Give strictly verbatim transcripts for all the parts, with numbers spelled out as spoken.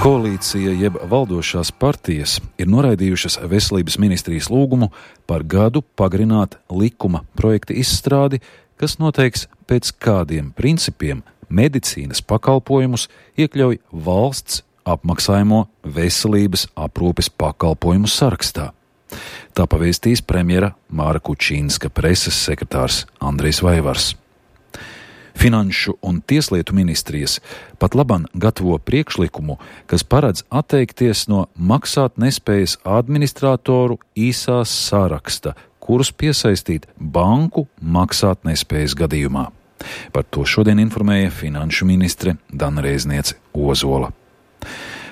Koalīcija jeb valdošās partijas ir noraidījušas veselības ministrijas lūgumu par gadu pagarināt likuma projekta izstrādi, kas noteiks, pēc kādiem principiem medicīnas pakalpojumus iekļauj valsts apmaksājamo veselības aprūpes pakalpojumu sarakstā. Tā pavēstīs premjera Māra Kučīnska preses sekretārs Andrejs Vaivars. Finanšu un tieslietu ministrijas pat laban gatavo priekšlikumu, kas paredz atteikties no maksātnespējas administratoru īsās saraksta, kurus piesaistīt banku maksātnespējas gadījumā. Par to šodien informēja finanšu ministre Dana Reizniece Ozola.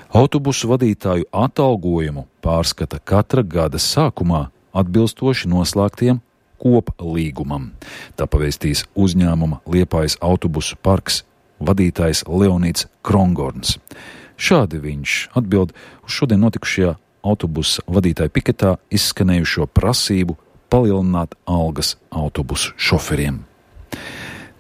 Autobusu vadītāju atalgojumu pārskata katra gada sākumā atbilstoši noslēgtiem koplīgumam. Tā pavēstīs uzņēmuma Liepājas autobusu parks vadītājs Leonīds Krongorns. Šādi viņš atbild uz šodien notikušajā autobusa vadītāju piketā izskanējušo prasību palielināt algas autobusu šoferiem.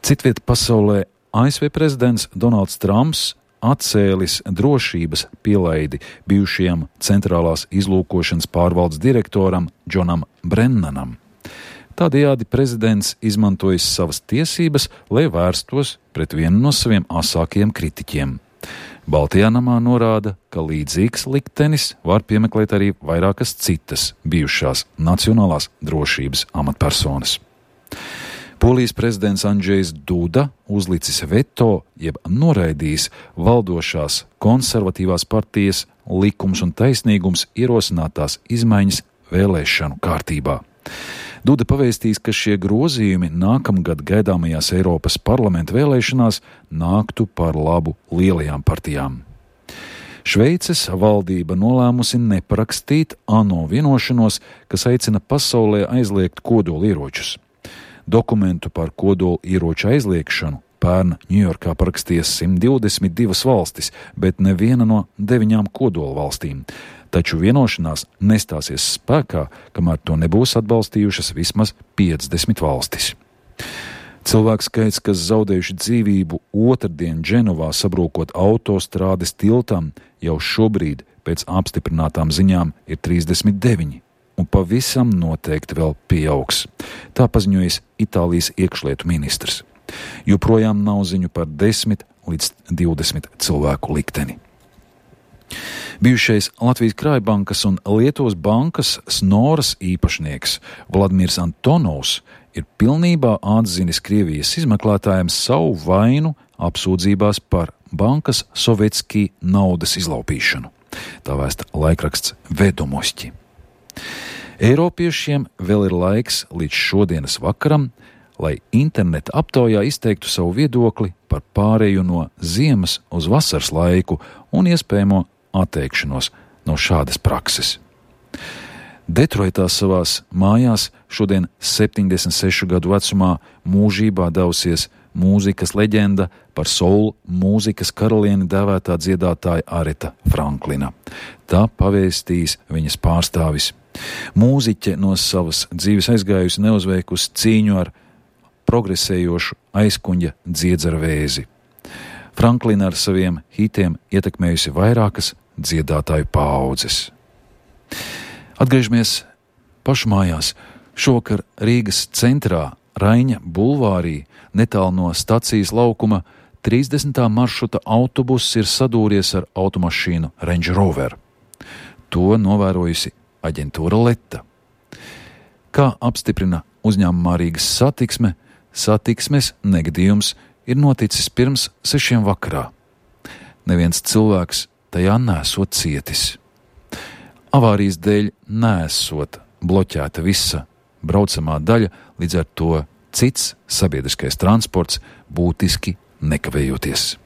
Citviet pasaulē A S V prezidents Donalds Trumps atcēlis drošības pielaidi bijušajam centrālās izlūkošanas pārvaldes direktoram Džonam Brennanam. Tādējādi prezidents izmantojis savas tiesības, lai vērstos pret vienu no saviem asākajiem kritiķiem. Baltajā namā norāda, ka līdzīgs liktenis var piemeklēt arī vairākas citas bijušās nacionālās drošības amatpersonas. Polijas prezidents Andžejs Duda uzlicis veto, jeb noraidījis valdošās konservatīvās partijas Likums un taisnīgums ierosinātās izmaiņas vēlēšanu kārtībā. Duda pavēstīs, ka šie grozījumi nākamgad gaidāmajās Eiropas parlamenta vēlēšanās nāktu par labu lielajām partijām. Šveices valdība nolēmusi neparakstīt ANO vienošanos, kas aicina pasaulē aizliegt kodolieročus. Dokumentu par kodolieroču aizliegšanu pērn Ņujorkā parakstīja simt divdesmit divas valstis, bet neviena no deviņām kodolvalstīm. Taču vienošanās nestāsies spēkā, kamēr to nebūs atbalstījušas vismaz piecdesmit valstis. Cilvēku skaits, kas zaudējuši dzīvību otrdien Dženovā sabrūkot autostrādes tiltam, jau šobrīd pēc apstiprinātām ziņām ir trīsdesmit deviņi, un pavisam noteikti vēl pieaugs. Tā paziņojas Itālijas iekšlietu ministrs. Joprojām nav ziņu par desmit līdz divdesmit cilvēku likteni. Bijušais Latvijas Krājbankas un Lietuvas bankas Snoras īpašnieks Vladimirs Antonovs ir pilnībā atzinis Krievijas izmeklētājiem savu vainu apsūdzībās par bankas Sovetskī naudas izlaupīšanu. Tā vēsta laikraksts Vedomosti. Eiropiešiem vēl ir laiks līdz šodienas vakaram, lai interneta aptaujā izteiktu savu viedokli par pārēju no ziemas uz vasaras laiku un iespējamo atteikšanos no šādas prakses. Detroitā savās mājās šodien septiņdesmit sešu gadu vecumā mūžībā devusies mūzikas leģenda, par soul mūzikas karalieni dēvētā dziedātāja Areta Franklina. Tā pavēstīs viņas pārstāvis. Mūziķe no savas dzīves aizgājusi neuzveikusi cīņu ar progresējošu aizkuņa dziedzera vēzi. Franklina ar saviem hitiem ietekmējusi vairākas dziedātāju paaudzes. Atgriežamies pašu mājās. Šovakar Rīgas centrā Raiņa bulvārī netālu no stacijas laukuma trīsdesmitā maršruta autobuss ir sadūries ar automašīnu Range Rover. To novērojusi aģentūra Leta. Kā apstiprina uzņēmumā Rīgas satiksme, satiksmes negadījums ir noticis pirms sešiem vakarā. Neviens cilvēks tajā nesot cietis. Avārijas dēļ nesot bloķēta visa braucamā daļa, līdz ar to cits sabiedriskais transports būtiski nekavējoties.